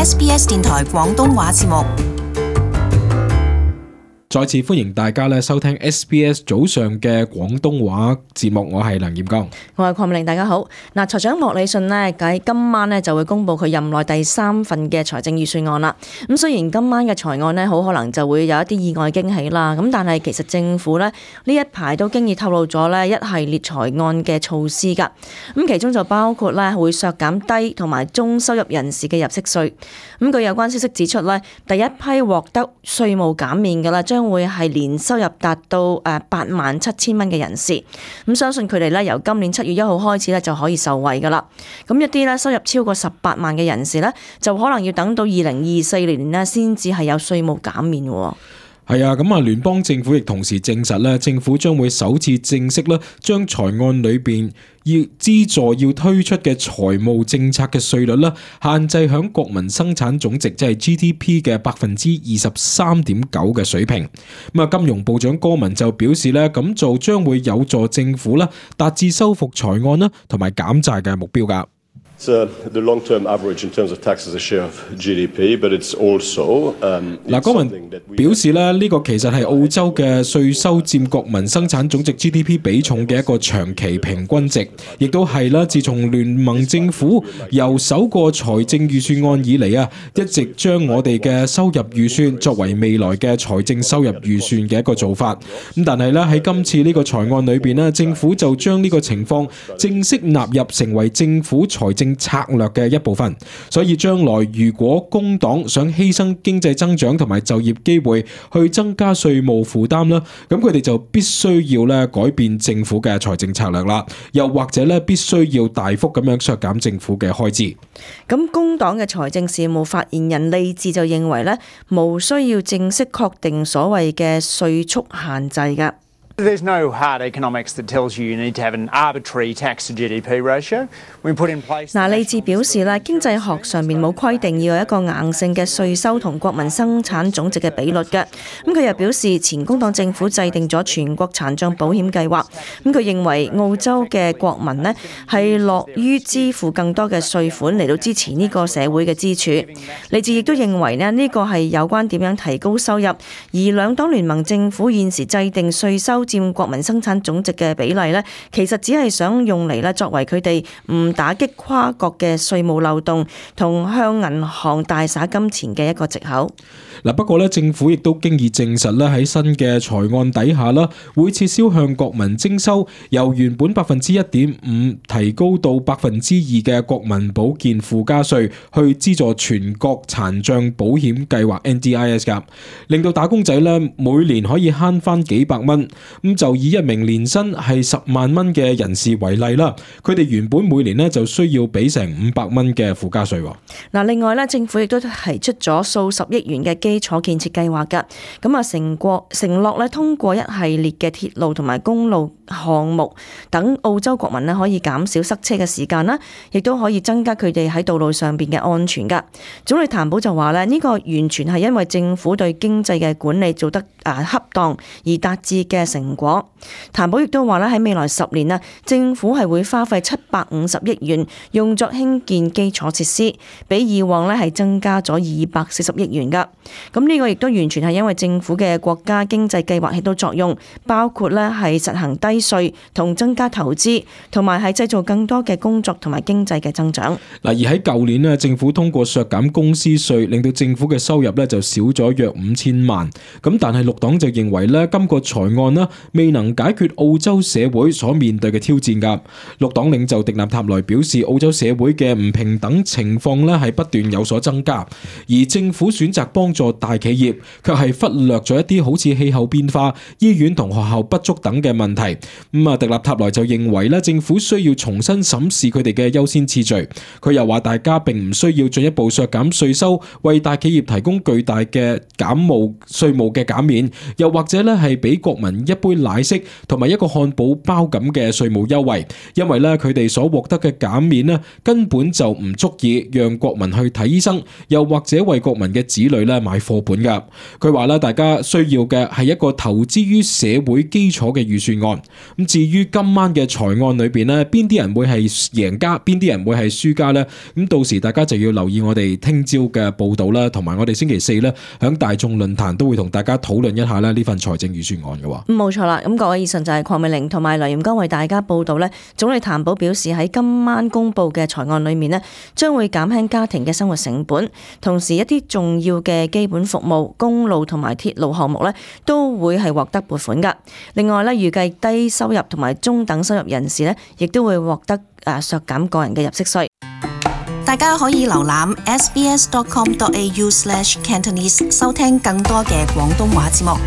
SBS 電台廣東話節目。再次歡迎大家收聽 SBS 早上嘅廣東話節目，我係梁彥剛，我係鄺美玲，大家好。財長莫里遜喺今晚就會公布佢任內第3份嘅財政預算案啦。咁雖然今晚嘅財案好可能就會有一啲意外驚喜啦，咁但係其實政府呢一排都經已透露咗一系列財案嘅措施㗎。咁其中就包括會削減低同埋中收入人士嘅入息稅。咁據有關消息指出第一批獲得稅務減免嘅啦，將會係年收入達到87000蚊嘅人士。咁相信佢哋由今年7月1號開始就可以受惠噶啦。咁一啲收入超過18萬嘅人士就可能要等到2024年先至係有稅務減免。係啊，咁聯邦政府亦同時證實政府將會首次正式將財案裏邊要資助要推出嘅財務政策嘅稅率限制響國民生產總值即係 GDP 嘅23.9%嘅水平。金融部長戈文就表示咁做將會有助政府達至收復財案同埋減債嘅目標㗎。The long-term average in terms of tax as a share of GDP, but it's also 戈文表示呢個其實係澳洲嘅稅收佔國民生產總值 GDP 比重嘅一個長期平均值，亦都係自從聯盟政府由首個財政預算案以嚟一直將我哋嘅收入預算作為未來嘅財政收入預算嘅一個做法。咁但係喺今次呢個財案裏邊政府就將呢個情況正式納入成為政府財政策略嘅一部分，所以將來如果工黨想犧牲經濟增長同埋就業機會去增加稅務負擔咁佢哋就必須要改變政府嘅財政策略啦，又或者必須要大幅咁樣削減政府嘅開支。咁工黨嘅財政事務發言人利智就認為無需要正式確定所謂嘅稅速限制㗎。There's no hard economics that tells you need to have an arbitrary tax to GDP ratio. We put in place 不過政府亦都經已證實喺新嘅財案底下會撤銷向國民徵收由原本1.5%提高到2%嘅國民保健附加稅，去資助全國殘障保險計劃 NDIS 㗎，令到打工仔每年可以慳翻幾百蚊。咁就以一名年薪係10萬蚊嘅人士為例啦，佢哋原本每年就需要俾成500蚊嘅附加稅。另外政府亦都提出咗數十億元嘅基礎建設計劃㗎，承諾通過一系列嘅鐵路同埋公路項目，等澳洲國民可以減少塞車嘅時間啦，亦都可以增加佢哋喺道路上邊嘅安全㗎。總理譚寶就話呢個完全係因為政府對經濟嘅管理做得恰當而達至嘅成果。譚寶亦都話喺未來10年政府係會花費750億元用作興建基礎設施，比以往係增加咗240億元㗎。咁呢個亦都完全係因為政府嘅國家經濟計劃起到作用，包括係實行低稅同增加投資，同埋係製造更多嘅工作同埋經濟嘅增長。而喺舊年政府通過削減公司稅，令到政府嘅收入就少咗約5000萬。咁但係綠黨就認為今個財案未能解決澳洲社會所面對嘅挑戰㗎。綠黨領袖迪納塔萊表示，澳洲社會嘅唔平等情況係不斷有所增加，而政府選擇幫助大企業，卻係忽略咗一啲好似氣候變化、醫院同學校不足等嘅問題。迪納塔萊就認為政府需要重新審視佢哋嘅優先次序。佢又話大家並唔需要進一步削減稅收，為大企業提供巨大嘅稅務嘅減免，又或者係俾國民一杯奶昔同埋一個漢堡包咁嘅稅務優惠，因為咧佢哋所獲得嘅減免咧根本就唔足以讓國民去睇醫生，又或者為國民嘅子女咧買課本噶。佢話咧，大家需要嘅係一個投資於社會基礎嘅預算案。咁至於今晚嘅財案裏邊咧，邊啲人會係贏家，邊啲人會係輸家呢？咁到時大家就要留意我哋聽朝嘅報道啦，同埋我哋星期四咧響大眾論壇都會同大家討論一下咧呢份財政預算案嘅。冇錯啦，咁各位以上就係鄺美玲同埋梁炎剛為大家報道呢。總理譚寶表示喺今晚公布嘅財案裏面呢，將會減輕家庭嘅生活成本，同時一啲重要嘅基本服務、公路同埋鐵路項目呢，都會係獲得撥款噶。另外呢，預計低收入同埋中等收入人士呢，亦都會獲得削減個人嘅入息稅。大家可以瀏覽 sbs.com.au/Cantonese 收聽更多嘅廣東話節目。